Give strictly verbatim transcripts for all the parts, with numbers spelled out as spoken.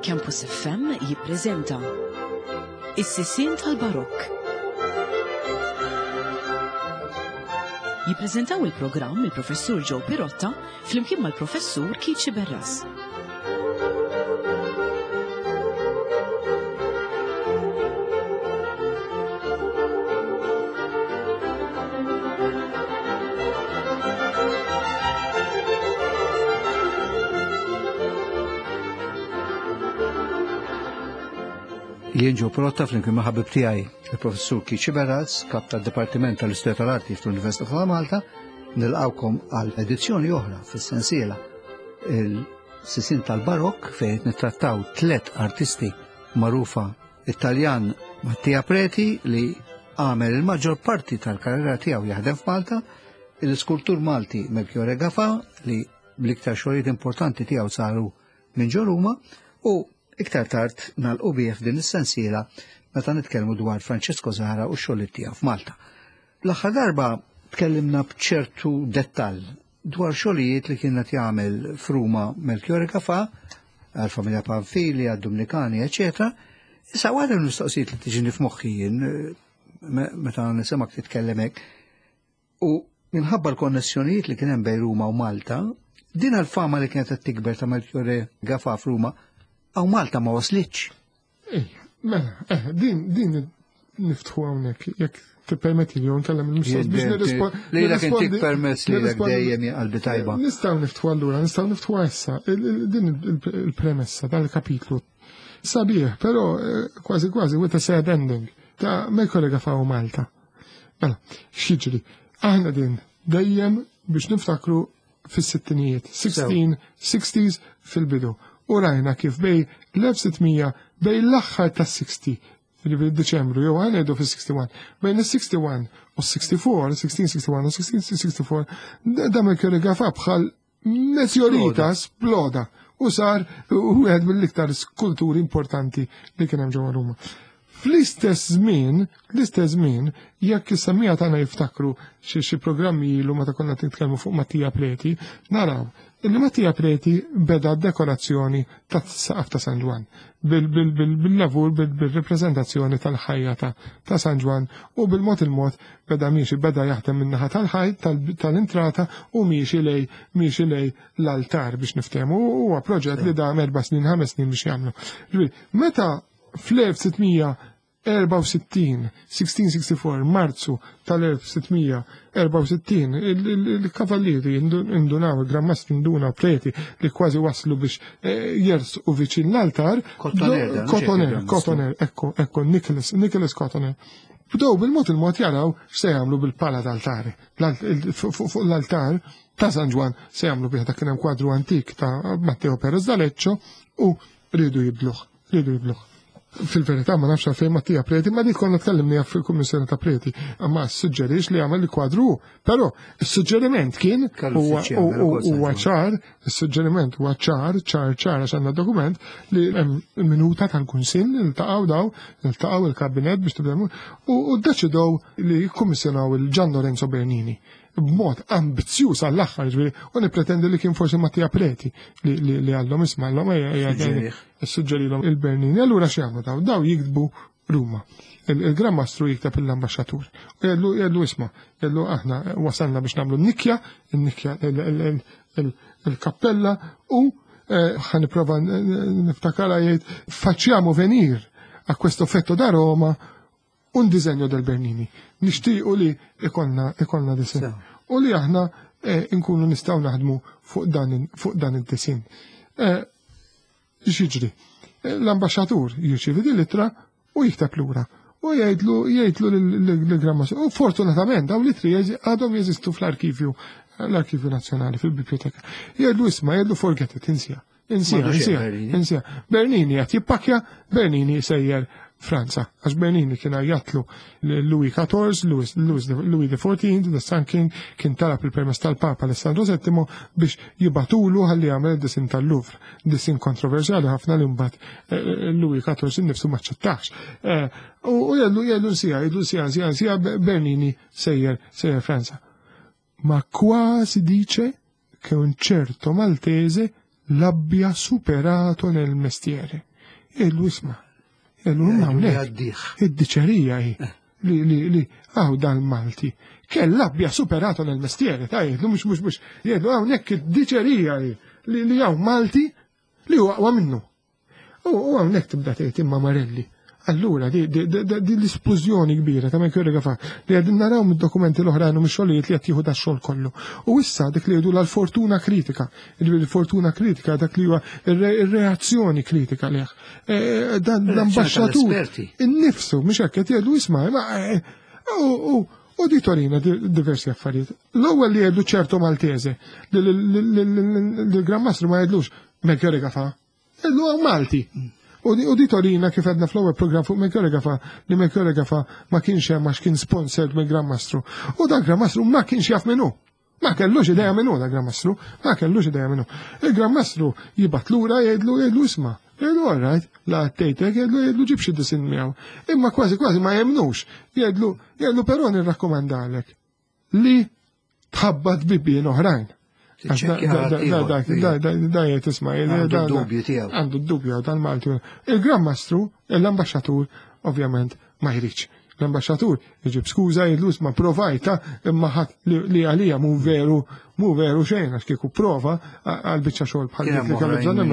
Campus F M jippreżenta Is-Sisien tal-Barokk. Jippreżentaw il-programm il-Professur Joe Pirotta flimkien mal-Professur Keith Sciberras. Jien Joe Pirotta flimkien ma' ħabib tiegħi il-Professur Keith Sciberras, kap tad-Dipartiment tal-Istorja tal-Arti fl-Università ta' Malta, nilqawkom għal edizzjoni oħra fis-sensiela il-Sisien tal-Barokk fejn qed nittrattaw tliet artisti magħrufa: Italjan Mattia Preti li għamel il-maġġor parti tal-karriera tiegħu jaħdem f'Malta, l-iskultur Malti Melchiorre Gafà li bl-iktar xogħlijiet importanti tiegħu saru minn ġo Ruma, u iktar tard nagħlqu bih f'din is-sensiela meta nitkellmu dwar Francesco Zahra u x-xogħlijiet tiegħu f'Malta. L-aħħar darba tkellimna b'ċertu dettall dwar xogħlijiet li kien qed jagħmel f'Ruma Melchiorre Gafà, għall-familja Pamphili, għad-Dumnikani, eċetera. Issa waħda mill-mistoqsijiet li tiġini f'moħħi jien meta nisimgħek titkellem hekk, u minħabba l-konnessjonijiet li kien hemm bejn Ruma u Malta, din għall-fama li kienet qed tikber ta' Melchiorre Gafà f'Ruma għaw Malta ma waslitx. Ej, mela, eh, din, din niftħu hawnhekk, jekk tippermetti li nkellem il-mistoqsijiet biex nirrispo-, Li lek intik nirrispondi- permess li lek nirrispondi- dejjem hija qalbi tajba. Nistgħu niftħu allura, nistgħu niftħu issa, il-, il-, din il-, il-premessa tal-kapitlu. Sabiħ, però, eh, kważi kważi with a sad ending ta' Melchiorre Gafà u Malta. Mela, x'jiġri? Aħna din dejjem biex niftakru fis-sittinijiet, sixteen sixties fil-bidu. U rajna kif bej l-elf sittmija, bej l-aħħar tas-sixty, ġifieri Deċembru, jew ħa ngħidu fis-sixty-one, bejn is-sixty-one u s-sixty-four, sixteen sixty-one u sixteen sixty-four, da Melchiorre Gafà bħal meteorita sploda u sar wieħed mill-iktar skulturi importanti li kien hemm ġewwa Ruma. Fl-istess żmien, l-istess żmien, jekk is-semmija tagħna jiftakru xi, xi programmi ilu meta konna nitkellmu fuq Mattia Preti, naraw illi Mattia Preti beda dekorazzjoni tas-saqaf ta' San Ġwann bil-, bil-, bil-, bil-lavur, bil-, bil-reprezentazzjoni tal-ħajja ta', ta' San Ġwann, u bil-mod il-mod beda miexi, beda jaħdem min-naħa tal-ħajt, tal-, tal-intrata u miexi lej, miexi lej l-altar biex niftehmu. U huwa proġett li dam erba' snin, ħames snin biex jagħmlu. Ġifieri, meta fl-elf sittmija erba' u sittin, sixteen sixty-four, Marzu tal-elf sittmija erba' u sittin, il-, il-, il-kavallieri indu-, indunaw, il-Gran Mastri indunaw Preti li kważi waslu biex, eh, jersqu viċin l-altar. Cotoner, Do- dan, mhux Cotoner, hekk il-Gran Mastru. Cotoner, ekku, ekku, Nicholas, Nicholas Cotoner. Bdew bil-mod il-mod jaraw x'se jagħmlu bil-pala tal-altare. L-alt-, il-, fu-, fu-, fuq l-altar ta' San Ġwann se jagħmlu bih, dak kien hemm kwadru antik ta' Matteo Perez d'Aleccio u rridu jibdluh, rridu jibdluh. Fil-verità ma nafx għalfejn Mattia Preti, ma dik konna tkellimni fil-Kummissjoni ta' Preti, ma suġġerix li għamel il-kwadru, però is-suġġeriment kien Kellu huwa uffiċjali, u-, u-, ukoll San huwa Ġwann. ċar, is-suġġeriment huwa ċar, ċar, ċar, għax għandna dokument li hemm minuta tal-Kunsill iltaqgħu daw, iltaqgħu il-Kabinett biex tibda u, u ddeċidew li jikkummissjonaw il-Gian Lorenzo Bernini b'mod ambizzjuż għall-aħħar, ġifieri, u nippretendi li kien forsi Mattia Preti li, li, li għallhom isma' għallhom, ejja, ejja, ejja, Suġġerih. suġġerilhom il-Bernini. Allura x'jagħmlu daw? Daw jiktbu Ruma. Il-, il-Gran Mastru jikteb l-ambaxxatur. U jgħidlu, jgħidlu isma', jgħidlu aħna wasalna biex nagħmlu n-nikja, n-nikja, il-, il-, il-, il-, il-kappella u, eh, ħa nipprova n-, n-, niftakara jgħid facciamo venir a questo effetto da Roma un disegno del Bernini. Nixtiequ li ikonna, ikonna disegn. Sew. U li aħna, eh, nkunu nistgħu naħdmu fuq dan in-, fuq dan id-disinn. Eh, x'jiġri? Eh, l-ambaxxatur jirċievi din l-ittra u jikteb lura. U jgħidlu, jgħidlu lil-Gran Mastru. U fortunatament dawn l-ittri jeżi-, għadhom jeżistu fl-arkivju, l-Arkivju Nazzjonali, fil-Biblioteka. Jgħidlu isma', jgħidlu forget it, insija. Insija, M'għandux insija, Bernini. insija. Bernini qed jippakja, Bernini sejjer Franza, għax Bernini kien għajjatlu Louis quatorze, Louis, Louis, Louis the fourteenth, the Sun King, kien talab il-permess tal-Papa Alessandro settimo biex jibatulu ħalli jagħmel id-disin tal-Louvre, disin kontroversjali ħafna li mbagħad, eh, eh, Louis quatorze innifsu ma ċċettax. Eh, u, u jgħidlu, jgħidlu nsija, jgħidlu nsija, nsija, nsija, Bernini sejjer, sejjer Franza. Ma qua si dice che un certo maltese l'abbia superato nel mestiere. Jgħidlu isma', jgħidlu hawnhekk. Id-diċerija hi li li li għaw dan Malti. Che l'abbia superato nel mestiere, ta' jgħidlu mhux mhux mhux jgħidlu hawnhekk id-diċerija hi li li hawn Malti li huwa aqwa minnu. U hawnhekk tibda tgħid imma Marelli. Allura, di l-isplużjoni kbira ta' Melchiorre Gafà li għedin naraw mid-dokumenti l-oħrajn u mix-xogħlijiet li qed jieħu dax-xogħol kollu. U issa dik li jgħidu l-fortuna kritika, il-fortuna kritika dak li huwa ir-reazzjoni kritika leh. Dan l-ambaxxatur innifsu mhux hekk qed jgħidu isma' u di torina diversi affarijiet. L-ewwel li jgħidu ċerto Maltese, li l-Gran Mastru ma jgħidlux Melchiorre Gafà, jgħidu hawn Malti. U di torina kif għedna fl-ewwel program fuq Melchiorre Gafà li Melchiorre Gafà ma kienx hemm għax kien sponsored mill-Gran Mastru. U dan Gran Mastru ma kienx jaf minnu. Ma kellux idea minnu da Gran Mastru, ma kellux idea minnu. Il-Gran Mastru jibgħat lura jgħidlu jgħidlu isma'. Jgħidlu all right, la tgħidlek jgħidlu jgħidlu ġib xi disin miegħu. Imma kważi kważi ma jemnux. Jgħidlu jgħidlu però nirrakkomandalek li tħabbat bibien oħrajn. Da jgħid isma' għandu d-dubju tiegħu. Għandu d-dubju tal-Malti. Il-Gran Mastru, l-ambaxxatur, ovvjament ma jridx. L-ambaxxatur iġib skuża jgħidlu isma' provajta imma ħadd li għalija mhu veru mhu veru xejn għax kieku prova għal biċċa xogħol bħal dik li kellu bżonn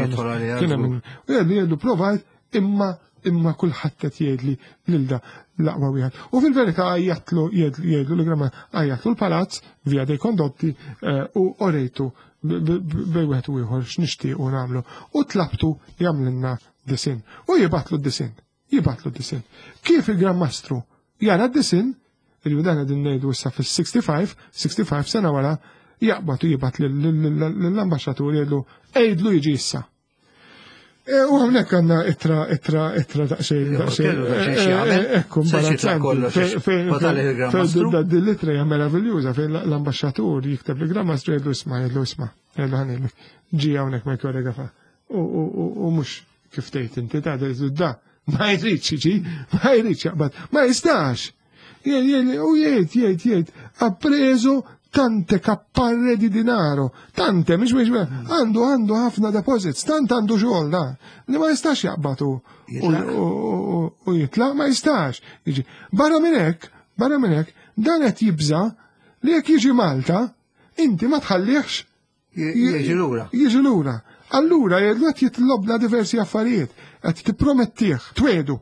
Kien hemm u jgħidlu provajt imma imma kulħadd qed jgħidli lil da l-aqwa wieħed. U fil-verità għajjatlu jgħidlu li Gran għajjatlu l-palazz via dei Condotti u orejtu bej wieħed u ieħor x'nixtiequ nagħmlu. U tlabtu jagħmlilna disin. U jibgħatlu d-disin. Jibgħatlu d-disin. Kif il-Gran Mastru jara d-disin, il dan qegħdin ngħidu issa fis-sixty-five, sixty-five sena wara, jaqbad u jibgħat lill-ambaxxatur jgħidlu għidlu jiġi issa. U hawnhekk għandna ittra, ittra, ittra daqsxejn, daqsxejn, ekku, imbarazzanti. Din l-ittra hija meraviljuża fejn l-ambaxxatur jikteb li Gran Mastru jgħidlu isma', jgħidlu isma', jgħidlu ħanilek, ġi hawnhekk Melchiorre Gafà. U mhux kif tgħid inti ta' jgħidlu da, ma jridx jiġi, ma jridx jaqbad, ma jistax. U jgħid, jgħid, jgħid, ha preso tante capparre di denaro, tante, mhux mhux, għandu għandu ħafna deposits, tant għandu xogħol da, li ma jistax jaqbad u jitlaq, ma jistax. Jiġi. Barra minn hekk, barra minn hekk, dan qed jibża li jekk jiġi Malta, inti ma tħallihx Jiġi lura. Jiġi lura. Allura jgħidlu qed jitlobna diversi affarijiet, qed tippromettih, twedu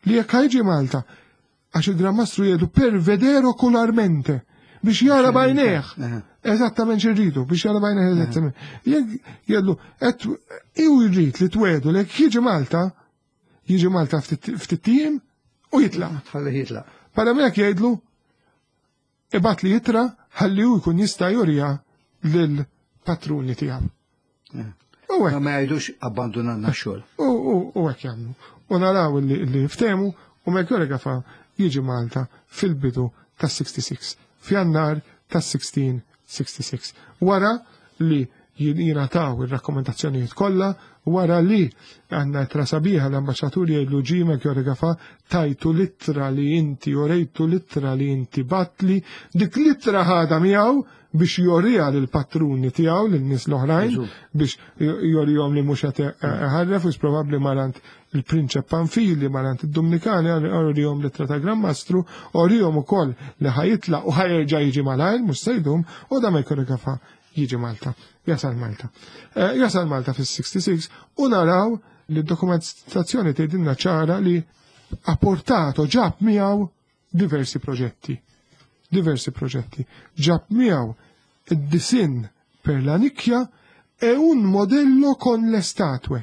li jekk ħajġi Malta, għax il-Gran Mastru jgħidu per vedere ocularmente, biex jara bajneħ. Eżattament x'irridu, biex jara bajneħ eżattament. Jekk jgħidlu, qed iw jrid li twedu li jekk jiġi Malta, jiġi Malta ftit ijiem u jitlaq. Tħalli jitlaq. Para minn hekk jgħidlu, ibgħat li jitra ħalli hu jkun jista' jurija lill-patruni tiegħu. U hekk. Ma jgħidux abbandunanna x-xogħol. U hekk jagħmlu. U naraw li ftehmu u Melchiorre Gafà jiġi Malta fil-bidu tas-sixty-six. F'Jannar tas-sixteen sixty-six. Wara li jingħataw ir-rakkomandazzjonijiet kollha, wara li għandna ittra sabiħa l-ambaxxatur jgħidlu ġi Melchiorre Gafà tajtu l-ittra li inti u rejtu l-ittra li inti batli, dik l-ittra ħadha miegħu biex jorija lill-patruni tiegħu lin-nies l-oħrajn, biex jorihom li mhux qed iħarref, u probabbli marant il-Prinċep Panfili, marant id-Dominikani, orihom l-ittra ta' Gran Mastru, orihom ukoll li ħajitlaq u ħajerġa' jiġi malajr, mhux se jdum, u da Melchiorre Gafà jiġi Malta, jasal Malta. Jasal Malta fis-sixty-six u naraw li d-dokumentazzjoni tgħidilna ċara li apportato ġab miegħu diversi proġetti. Diversi proġetti. Ġab miegħu id-disin per la nicchia e un modello con le statue.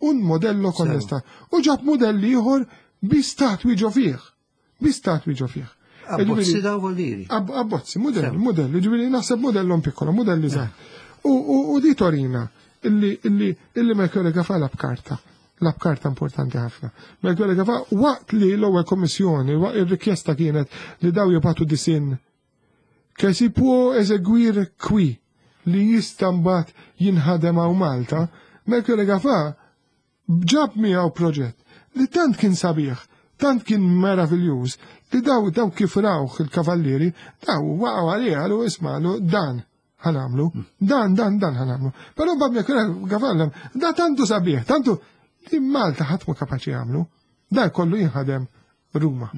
Un modello con le statue. U ġab modelli ieħor bi statwi ġo fih. Bi statwi ġo fih. Abbozzi daw voliri. Abbozzi, modelli, modelli, ġifieri naħseb modello piccolo, modelli żgħar. U di Torina, illi, illi, illi Melchiorre Gafà lab karta. Lab karta importanti ħafna. Melchiorre Gafà waqt li l-ewwel kommissjoni, waqt ir-rikjesta kienet li daw jibgħatu disin che si può eseguire qui, li jista' mbagħad jinħadem hawn Malta, Melchiorre Gafà ġab miegħu proġett li tant kien sabiħ, tant kien meraviljuż, li daw, daw kif rawh il-kavallieri, daw waqgħu għalih għalu isma' għalu dan ħanamlu, dan, dan, dan ħanamlu. Però bab Melchiorre Gafà da tantu sabiħ, tantu Li Malta ħadd mhu kapaċi jagħmlu. Dan kollu jinħadem Ruma.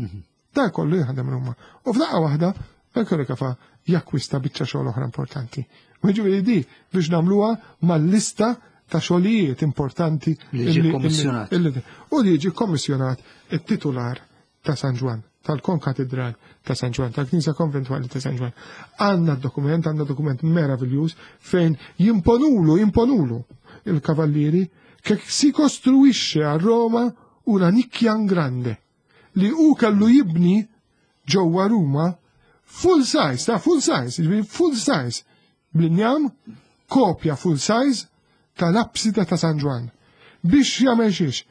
Dan kollu jinħadem Ruma. U f'daqqa waħda Melchiorre Gafà jakkwista biċċa xogħol oħra importanti. Jiġifieri di biex nagħmluha mal-lista ta' xogħlijiet importanti li jiġi kommissjonat. U li jiġi kommissjonat it-titular ta' San Ġwann, tal-Konkatedral ta' San Ġwann, tal-Knisja Konventwali ta' San Ġwann. Għandna dokument, għandna dokument meraviljuż fejn jimponulu, jimponulu il-kavallieri che si costruisce a Roma una nicchia grande li u kellu jibni ġewwa Ruma full size, ta' full size, jiġifieri full size, bl-injam, kopja full size tal-absida ta' San Ġwann. Biex jagħmel xiex?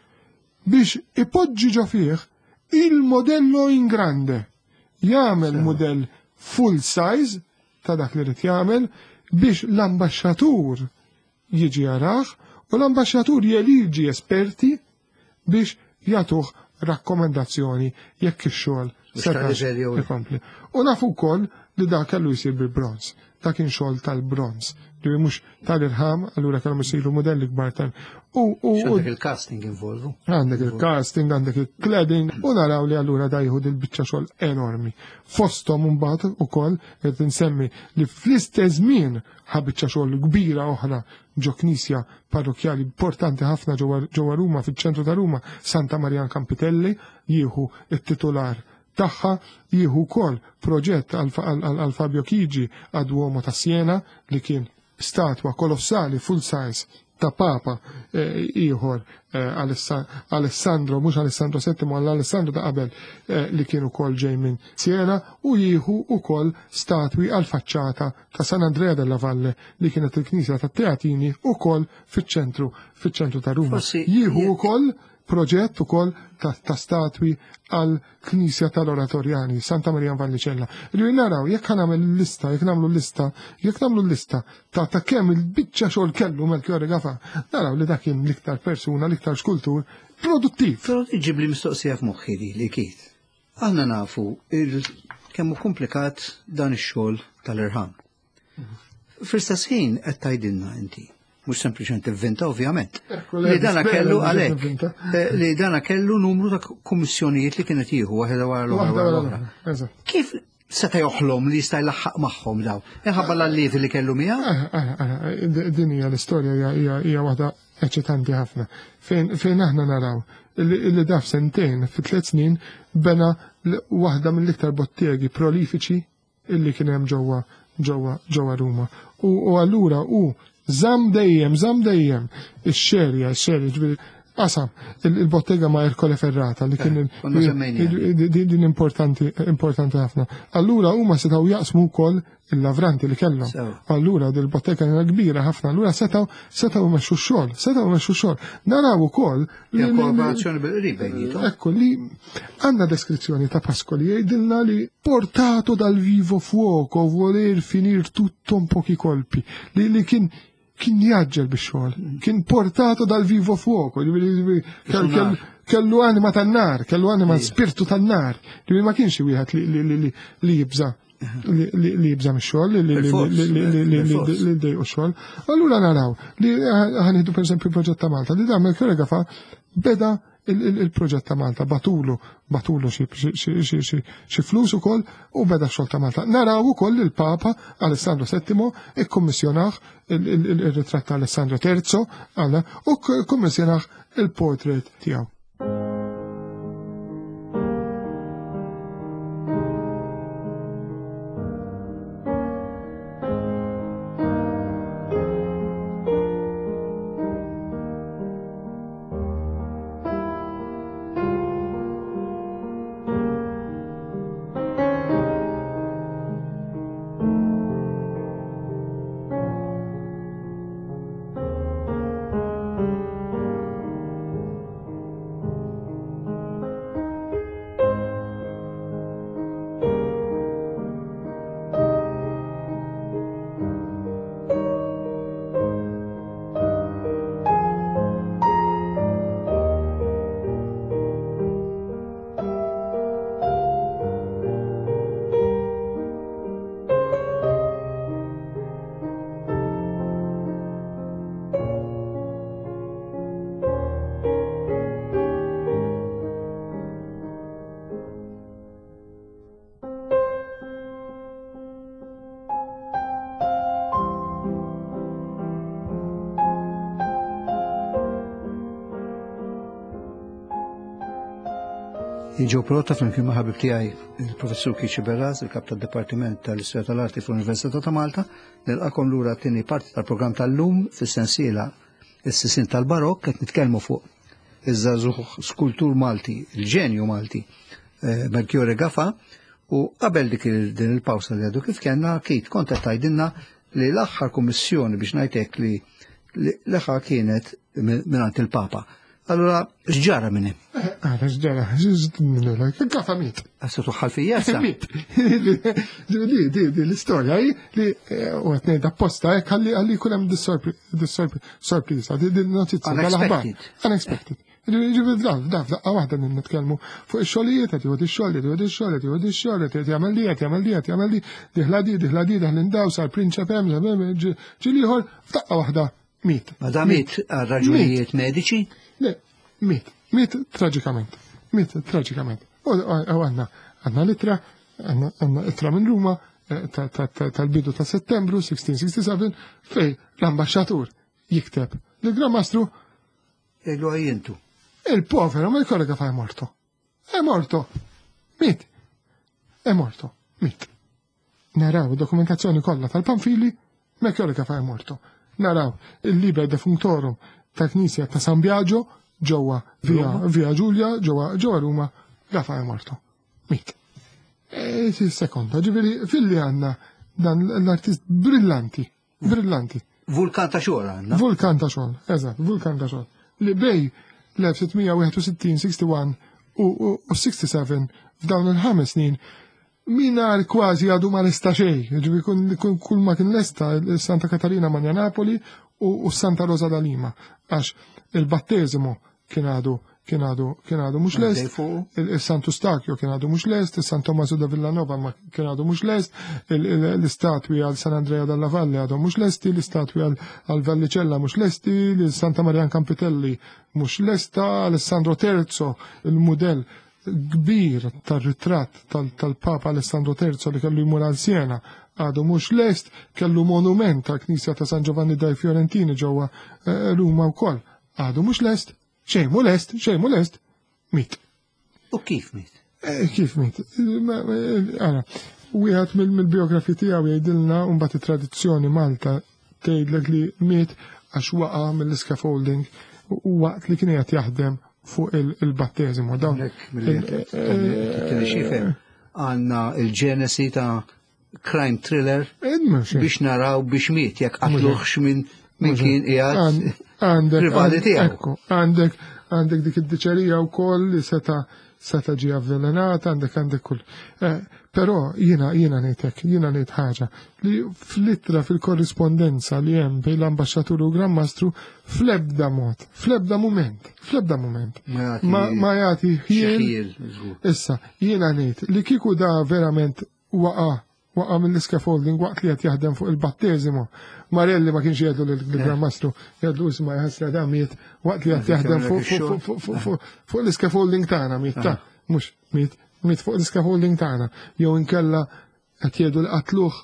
Biex ipoġġi ġo fih il-modello in grande. Jagħmel modell full size ta' dak li rid jagħmel biex l-ambaxxatur jiġi jarah u l-ambaxxatur jeliġi esperti biex jagħtuh rakkomendazzjoni jekk ix-xogħol setax ikompli. U nafu wkoll li dak kellu jsir bil-bronz. Dak kien xogħol tal-bronz, li mhux tal-irħam, allura kellhom isiru modelli kbar tal. U għandek il-casting involvu. Għandek il-casting, għandek il-cladding, u naraw li allura da jieħu dil-biċċa xogħol enormi. Fosthom imbagħad ukoll qed insemmi li fl-istess żmien ħa biċċa xogħol kbira oħra ġo knisja parrokjali importanti ħafna ġewwa Ruma, fiċ-ċentru ta' Ruma, Santa Maria Campitelli, jieħu it-titular tagħha, jieħu wkoll proġett għal Fabio Chigi għad Duomo ta' Siena li kien statwa kolossali full size ta' Papa ieħor Alessandro, mhux Alessandro settimo, għal Alessandro ta' qabel li kien ukoll ġej minn Siena, u jieħu ukoll statwi għal faċċata ta' San Andrea della Valle li kienet il-knisja ta' Teatini ukoll fiċ-ċentru fiċ-ċentru ta' Ruma. Jieħu ukoll proġett ukoll ta' statwi għal knisja tal-Oratorjani, Santa Maria Vallicella. Li naraw, jekk nagħmel lista, jekk nagħmlu lista, jekk nagħmlu lista ta' ta' kemm il-biċċa xogħol kellu Melchiorre Gafà, naraw li dak kien l-iktar persuna, l-iktar skultur produttiv. Però iġib li mistoqsija f'moħħi di li kiet. Aħna nafu kemm hu komplikat dan ix-xogħol tal-irħam. Fl-istess ħin qed tgħidilna inti, mhux sempliċement ivvinta ovvjament. Li dana kellu għalhekk, li dana kellu numru ta' kummissjonijiet li kienet jieħu waħda wara l-oħra. Kif seta' joħlom li jista' jlaħħaq magħhom daw? Inħabba l-allievi li kellu miegħu? Din hija l-istorja hija waħda eċitanti ħafna. Fejn aħna naraw illi daf sentejn fi tliet snin bena waħda mill-iktar bottegi prolifiċi illi kien hemm ġewwa ġewwa ġewwa Ruma. U allura hu żamm dejjem, żamm dejjem ix-xerja, ix-xerja, ġifieri qasam il-bottega ma' Ercole Ferrata li kien din importanti importanti ħafna. Allura huma setgħu jaqsmu wkoll il-lavranti li kellhom. Allura dil-bottega kienet kbira ħafna, allura setgħu setgħu jmexxu x-xogħol, setgħu jmexxu x-xogħol. Naraw ukoll li kooperazzjoni bil-qrib bejniethom. Ekku li għandna deskrizzjoni ta' Pascoli jgħidilna li portato dal vivo fuoco voler finir tutto in pochi colpi, li li kien kien jaġġel bix-xogħol, kien portato dal vivo fuoco, kellu anima tan-nar, kellu anima spirtu tan-nar, li ma kienx wieħed li jibża li jibża mix-xogħol, li dejqu x-xogħol. Allura naraw li ħanieħdu pereżempju proġett ta' Malta, li dan Melchiorre Gafà beda il-proġett ta' Malta, batulu, batulu xi flus ukoll u beda x-xogħol ta' Malta. Naraw ukoll il-Papa Alessandro settimo ikkummissjonah il-ritratt ta' Alessandro terzo u kkummissjonah il-portrait tiegħu. Joe Pirotta flimkien ma' ħabib tiegħi il-Professur Keith Sciberras, il-Kap tad-Dipartiment tal-Istorja tal-Arti fl-Università ta' Malta, nilqakom lura t-tieni parti tal-programm tal-lum fis-sensiela is-sisin tal-Barokk qed nitkellmu fuq iż-żagħżugħ skultur Malti, il-ġenju Malti, eh, Melchiorre Gafà, u qabel dik din il-pawsa li għadu kif kellna, Keith kont qed tgħidilna li l-aħħar kummissjoni biex ngħidlek li l-aħħar kienet mingħand il-Papa. Allura, x'ġara minn hemm? Għara, x'ġara, Gafà miet. Għassa tuħħal fija sa? Miet. Di, di, di, l-istorja hi li u qed ngħid apposta hekk ħalli ħalli jkun hemm dis-sorpriża, di notizja tal-aħbar. Unexpected. Unexpected. Ġifieri da, da, daqqa waħda nitkellmu fuq ix-xogħlijiet, qed jieħu ix-xogħol, qed jieħu ix-xogħol, qed jieħu ix-xogħol, qed jagħmel di, qed jagħmel di, qed jagħmel di, diħla di, diħla di, daħlin daw, sar prinċep hemm, ġili ieħor, f'daqqa waħda miet. Ma da miet għal raġunijiet mediċi? Le, miet, miet traġikament, miet traġikament. U għandna, għandna l-ittra, għandna ittra minn Ruma tal-bidu ta' Settembru sixteen sixty-seven fej l-ambasċatur jikteb l-Gran Mastru Jgħidu għajjentu. Il-povero Melchiorre Gafà è morto. È morto. Miet. È morto. Miet. Naraw dokumentazzjoni kollha tal-Pamphili, Melchiorre Gafà è morto. Naraw il-Liber Defunctorum ta' Knisja ta' San Biagio ġewwa via, via Giulia, ġewwa ġewwa Ruma, Gafà è morto. Miet. E, sekonda, ġifieri filli għandna dan l-artist brillanti, brillanti. Vulkan ta' xogħol għandna. Vulkan ta' xogħol, eżatt, vulkan ta' xogħol. Li bejn l-elf sitt mija wieħed u sittin, wieħed u u sitta u sebgħin f'dawn il-ħames snin minar kważi għadu ma lesta xejn, ġifieri kull ma kien lesta Santa Katarina Magna Napoli u Santa Rosa da Lima, għax il-battesimo kien għadu kien għadu kien għadu mhux lest, il-Santu Stakio kien għadu mhux lest, il-San Tommaso da Villanova ma kien għadu mhux lest, l-istatwi għal San Andrea dalla Valle għadu mhux lesti, l-istatwi għal Vallicella mhux lesti, l-Santa Maria Campitelli mhux lesta, Alessandro Terzo, il-mudell kbir tar-ritratt tal-Papa Alessandro Terzo li kellu jmur għal Siena għadu mhux lest, kellu monument tal-Knisja ta' San Giovanni dai Fiorentini ġewwa Ruma wkoll. Għadu mhux lest, xejn mhu lest, xejn mhu lest, miet. U kif miet? Kif miet? Ara, wieħed mill-biografi tiegħu jgħidilna u mbagħad it-tradizzjoni Malta tgħidlek li miet għax waqa' mill-scaffolding waqt li kien qed jaħdem fuq il-battesimu. Dawn għandna il-ġenesi ta' crime thriller biex naraw biex miet jekk qatluħx minn min kien qiegħed rivali tiegħu. Għandek għandek dik id-diċerija wkoll li seta seta ġi avvelenata, għandek għandek kull. Però jiena jiena ngħidlek, jiena ngħid ħaġa li fl-ittra fil-korrispondenza li hemm bejn l-ambaxxatur u Gran Mastru fl-ebda mod, fl-ebda moment, fl-ebda moment. Ma jagħti ħiel. Issa, jiena ngħid li kieku da verament waqa' waqa' mill-scaffolding waqt li qed jaħdem fuq il-battesimu. Marelli ma kienx jgħidlu lill-Gran Mastru, jgħidlu isma' jħassra da miet waqt li qed jaħdem fuq l-scaffolding tagħna miet ta' mhux miet miet fuq l-scaffolding tagħna. Jew inkella qed jgħidu li qatluh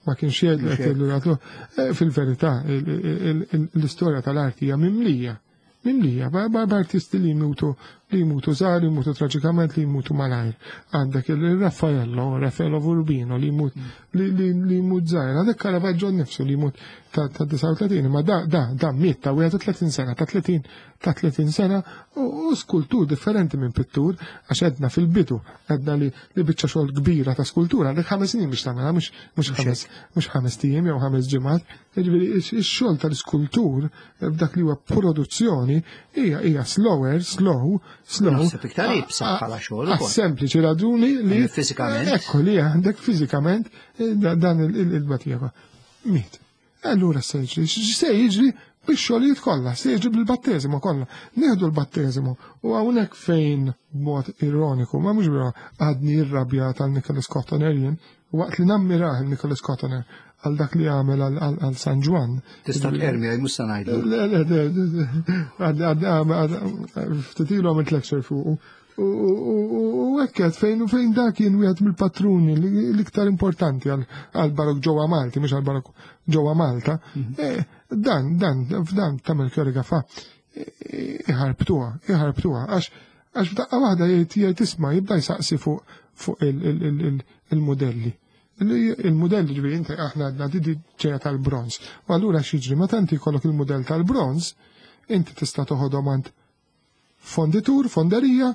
ma kienx jgħidu qed jgħidu li qatluh. Fil-verità l-istorja tal-arti hija mimlija. Mimlija, b'artisti li jmutu, li jmutu żgħar, li jmutu traġikament, li jmutu malajr. Għandek il-Raffaello, Raffaello Urbino, li jmut, li jmut żgħir. Għandek Caravaggio nnifsu li jmut ta' disgħa u tletin, ma da, da, da miet ta' wieħed u tletin sena, ta' tletin, ta' tletin sena, u skultur differenti minn pittur, għax għedna fil-bidu, għedna li, li biċċa xogħol kbira ta' skultura, għandek ħames snin biex tagħmilha, mhux, mhux ħames, mhux ħames tiem jew ħames ġimgħat. Jiġifieri ix-xogħol tal-iskultur f'dak li huwa produzzjoni hija, hija slower, slow, slow. Naħseb iktar iebsa bħala xogħol ukoll. Sempliċi raġuni li Fiżikament. Ekku li għandek fiżikament dan il-batija. Miet. Allura se jiġri, se jiġri bix-xogħlijiet kollha, se jiġri bil-batteżimu kollha. Nieħdu l-batteżimu u hawnhekk fejn b'mod ironiku, ma mhux bra għadni irrabja tal-Nicholas Cotoner jien, waqt li nammirah il-Nicholas Cotoner għal dak li għamel għal San Ġwann. Tista' tqermi għaj mhux se ngħidlu. Le, le, le, le, le, ftit ilu għamilt lecture fuqu. U hekk fejn fejn dak kien wieħed mill-patruni l-iktar importanti għal barok ġewwa Malti, mhux għal barok ġewwa Malta. Dan, dan, f'dan ta' Melchiorre Gafà iħarbtuha, iħarbtuha, għax Għax f'daqqa waħda jgħid jgħid isma' jibda jsaqsi fuq fuq il-modelli. Il-modelli ġifieri inti aħna għadna di ġejja tal-bronz. U allura x'jiġri meta inti jkollok il-mudell tal-bronz, inti tista' toħodhom għand fonditur, fonderija,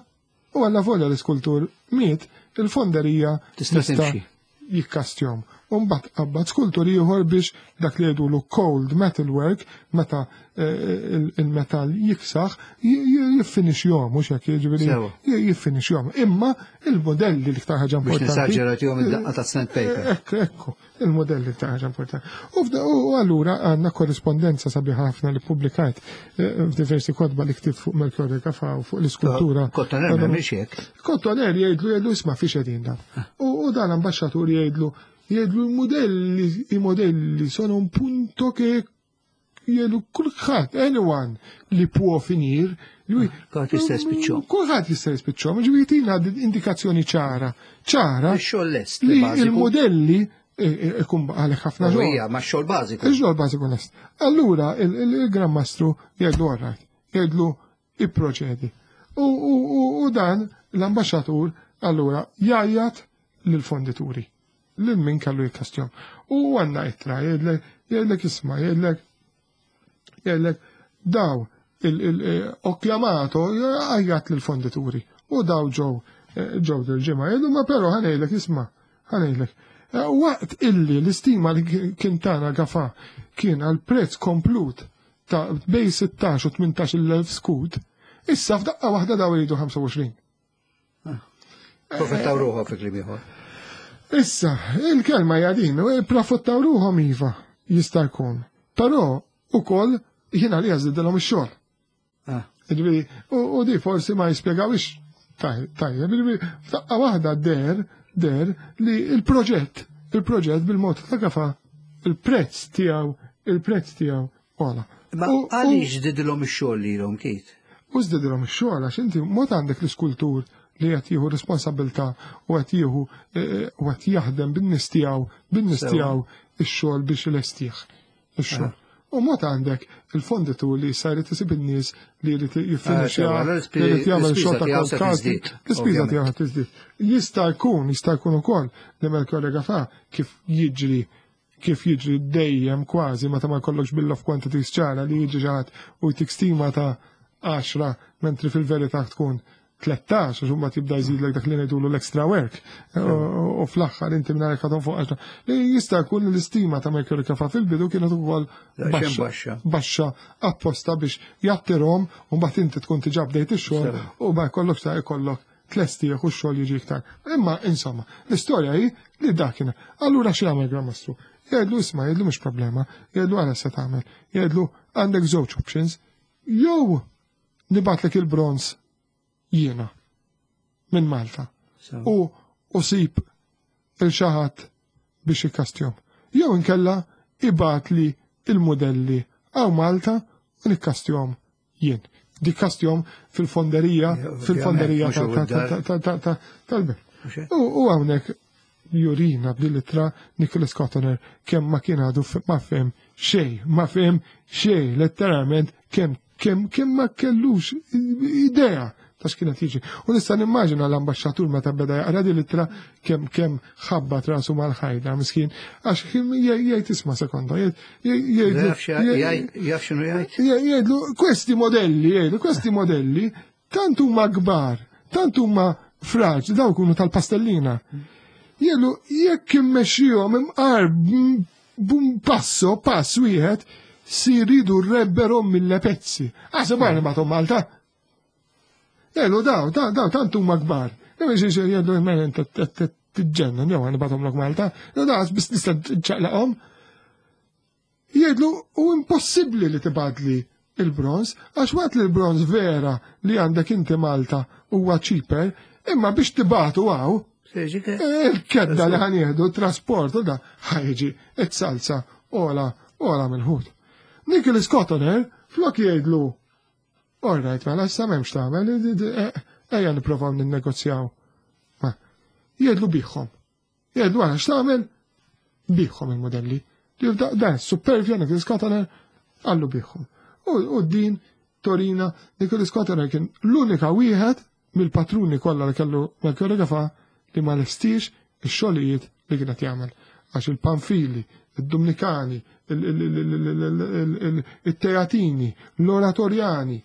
u għalla volja l-iskultur miet, il-fonderija Tista' timxi. jikkastjom. Umbat qabbad skultur ieħor biex dak li jgħidulu cold metal work, meta eh, il-metal jiksaħ, jiffinixjom, mhux hekk jiġifieri Sewa. jiffinixjom. Imma il-modelli li iktar ħaġa Biex importanti. nesaġġera id-daqqa ta' sandpaper. Ekku, ekku, il-modelli ta' ħaġa importanti. U f'da- U allura għandna korrispondenza sabiħa ħafna li publikajt eh, f'diversi kotba li ktibt fuq Melchiorre Gafà u fuq l-iskultura. Kottoner m'hemmx hekk. Kottoner jgħidlu jgħidlu isma' fiex qegħdin dan. U u dan l-ambasċatur jgħidlu jgħidlu i-modelli i-modelli sono un punto che jgħidlu kulħadd anyone li può finir lui Kulħadd jista' jispiċċhom. Kulħadd jista' jispiċċhom, ġifieri jtina indikazzjoni ċara, ċara Ix-xogħol lest li bażiku. il-modelli eh, ikun għalek ħafna U xogħol. hija ma' xogħol bażiku. Il-xogħol bażiku lest. Allura il-Gran Mastru jgħidlu all right, jgħidlu ipproċedi. U, u, u, u dan l-ambasċatur allura jgħajjat lill-fondituri, lil min kellu jikkastjom. U għandna ittra jgħidlek jgħidlek isma' jgħidlek jgħidlek daw ho chiamato għajjat lill-fondituri u daw ġew eh, ġew dil-ġimgħa jgħidu ma però ħa ngħidlek isma' ħa ngħidlek. Eh, Waqt illi l-istima li kien tana Gafà kien għal prezz komplut ta' bej sittax u tmintax il-elf skud, issa f'daqqa waħda daw jridu ħamsa u għoxrin. Profittaw ruħhom fi kliem ieħor. Issa, il-kelma hija din, profittaw ruħhom iva, jista' jkun. Però ukoll jiena li jażdidilhom ix-xogħol. Ah. Ġifieri, u u di forsi ma jispjegawix tajjeb, ġifieri, f'daqqa waħda der, der li il-proġett, il-proġett bil-mod ta' Gafà, il-prezz tiegħu, il-prezz tiegħu ola. Ma U- u- għaliex żdidilhom ix-xogħol lilhom Kit? U żdidilhom ix-xogħol għax inti mod għandek l-iskultur li qed jieħu responsabilità u qed jieħu eh, u qed jaħdem bin-nies tiegħu, bin-nies Sewa. tiegħu ix-xogħol biex ilestih ix-xogħol. U mod għandek il-fonditur li issa jrid isib in-nies li jrid jiffinixja, Ah, sewa, li l-ispi- jrid jagħmel l-ispiża xogħol ta' tiegħu se casting, tiżdied, l-ispiża ovvjament. tiegħu tiżdied. Jista' jkun, jista' jkun ukoll li Melchiorre Gafà kif jiġri kif jiġri dejjem kważi meta ma jkollokx bill of quantities ċara li jiġi ġaħat u jtik stima ta' għaxra mentri fil-verità tkun tlettax, għax imbagħad jibda jżidlek dak li ngħidulu l-extra work. U u fl-aħħar inti mingħajr ħadhom fuq għaxra. Li jista' jkun li l-istima ta' Melchiorre Gafà fil-bidu kienet ukoll Daqsxejn baxxa. baxxa. Baxxa apposta biex jattirhom u mbagħad inti tkun diġà bdejt ix-xogħol Sewa. u ma jkollok ta' jkollok tlestih u x-xogħol jiġi iktar. Imma insomma, l-istorja hi li dak kien. Allura xi jagħmel Gran Mastru? Jgħidlu isma', jgħidlu mhux problema, jgħidlu għala se tagħmel, jgħidlu għandek żewġ options, jew nibatlek il-bronz jiena minn Malta Sewa. u u sib il-xaħat biex ikkastjom. Jew inkella ibgħat li il-modelli għaw Malta u nikkastjom jien. Nikkastjom fil-fonderija, Ja, fil-fonderija ovvjament, mhux ta- ta- id-dar. ta- ta- ta- tal-belt. Mhux hekk? U u hawnhekk jurina b'dil-ittra Nicholas Cottoner kemm ma kien għadu f- ma fehem xejn, ma fehem xejn, letteralment kemm kemm kemm ma kellux idea ta' x'kienet jiġi. U nista' nimmaġina l-ambaxxatur meta beda jaqra din l-ittra kemm kemm ħabbat rasu mal-ħajda miskin għax kien jgħid isma' sekonda, jgħid jgħid Jaf xi- jaf x'inhu jgħid? jgħidlu questi modelli, jgħidlu questi modelli tant huma kbar, tant huma fraġli, daw kunu tal-pastellina. Jgħidlu jekk immexxihom imqar b'un passo, pass wieħed, si ridurrebbero mille pezzi. Ah, se barra ma Malta. Jgħidlu daw, daw, daw, tant huma kbar. Jgħidlu mela inta tiġġennan, jew nibgħathomlok Malta. Jew daw biss nista' ċaqlaqhom. Jgħidlu u impossibbli li tibgħatli il-bronz, għax waqt li l-bronz vera li għandek inti Malta huwa cheaper, imma biex tibgħatu għaw, il-kedda li ħa nieħdu, trasport, u da, ħa jiġi, it-salsa, ola, ola mill-ħut. Nicholas Cottoner, flok jgħidlu, all right, mela, issa m'hemmx tagħmel, ejja nipprovaw ninnegozjaw. Ma, jgħidlu bigħhom. Jgħidlu għala x'tagħmel? Bigħhom il-modelli. Dan, supervja Nicholas Cottoner, qallu bigħhom. U din Torina, Nicholas Cottoner kien l-unika wieħed mill-patruni kollha li kellu Melchiorre Gafà li ma lestix ix-xogħlijiet li kienet jagħmel. Għax il-Panfili, id-Dominikani, il-Teatini, l-Oratorjani,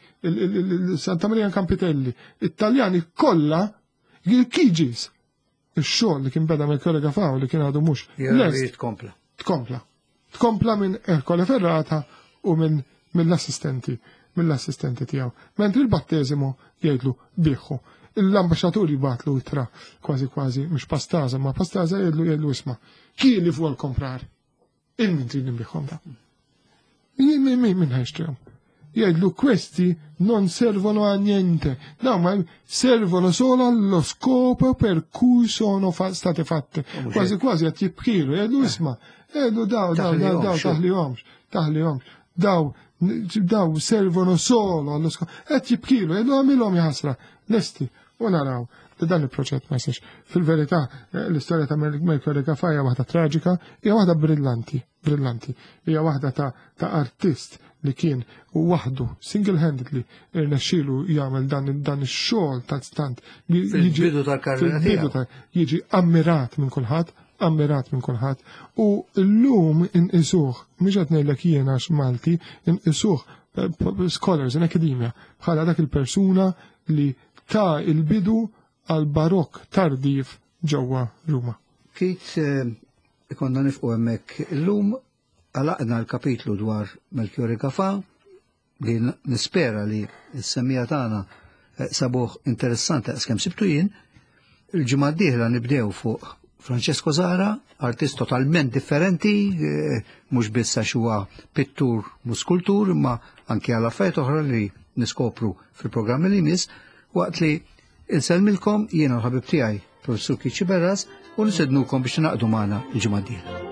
Santa Maria Campitelli, it-Taljani kollha il-Kiġis. Ix-xogħol li kien beda Melchiorre Gafà u li kien għadu mhux lest. Tkompla. Tkompla. Tkompla minn Ercole Ferrata u minn mill-assistenti, mill-assistenti tiegħu. Mentri il-batteżimo jgħidlu biħħu. L-ambaxxatur jibatlu itra kważi kważi mhux pastaza, ma pastaza jgħidlu jgħidlu isma'. Chi li vuol comprar? Il-min trid nbiħhom da. Min min min ħajxtrihom? Jgħidlu questi non servono a niente, no, ma servono solo allo scopo per cui sono fa state fatte. Kważi kważi qed jibkilu, jgħidlu isma', jgħidlu daw, daw, daw, daw, taħlihomx, taħlihomx, daw, daw servono solo allo scopo. Qed jibkilu, jgħidlu għamilhom jaħasra, lesti, u naraw li dan il-proġett ma jsirx. Fil-verità, l-istorja ta' Melchiorre Gafà hija waħda traġika, hija waħda brillanti, brillanti. Hija waħda ta', ta' artist li kien waħdu single-handedly irnexxielu jagħmel dan, dan ix-xogħol ta' stant li jiġi tal-karriera tiegħu. Jiġi ammirat minn kulħadd, ammirat minn kulħadd. U llum inqisuh, mhux qed ngħidlek jien għax Malti, inqisuh scholars in academia bħala dak il-persuna li ta' il-bidu għal barok tardif ġewwa Ruma. Keith, ikonna nifqu hemmhekk illum għalaqna l-kapitlu dwar Melchiorre Gafà li nispera li s-semmija tagħna sabuh interessanti għaskemm sibtu jien. Il-ġimgħa d-dieħla nibdew fuq Francesco Zahra, artist totalment differenti, mhux biss għax huwa pittur u skultur, imma anke għal affarijiet oħra li niskopru fil-programmi li jmiss, waqt li insellmilkom jiena l-ħabib tiegħi, Professur Keith Sciberras, u nistednukom biex naqdu magħna l-ġimgħa d-dieħla.